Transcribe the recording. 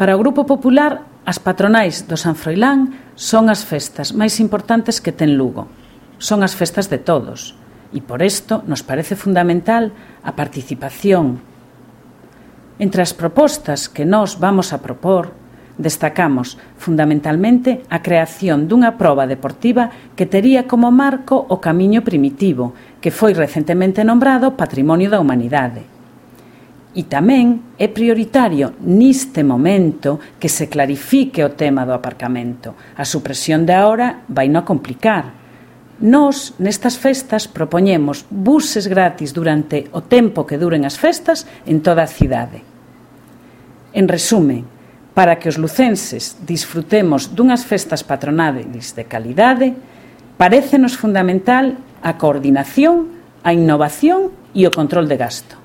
Para o Grupo Popular, as patronais do San Froilán son as festas máis importantes que ten Lugo. Son as festas de todos. E por isto nos parece fundamental a participación. Entre as propostas que nós vamos a propor, destacamos fundamentalmente a creación dunha proba deportiva que tería como marco o Camiño Primitivo, que foi recentemente nombrado Patrimonio da Humanidade. E tamén é prioritario neste momento que se clarifique o tema do aparcamento. A supresión de agora vai non complicar. Nós, nestas festas, propoñemos buses gratis durante o tempo que duren as festas en toda a cidade. En resumen, para que os lucenses disfrutemos dunhas festas patronales de calidade, parécenos fundamental a coordinación, a innovación e o control de gasto.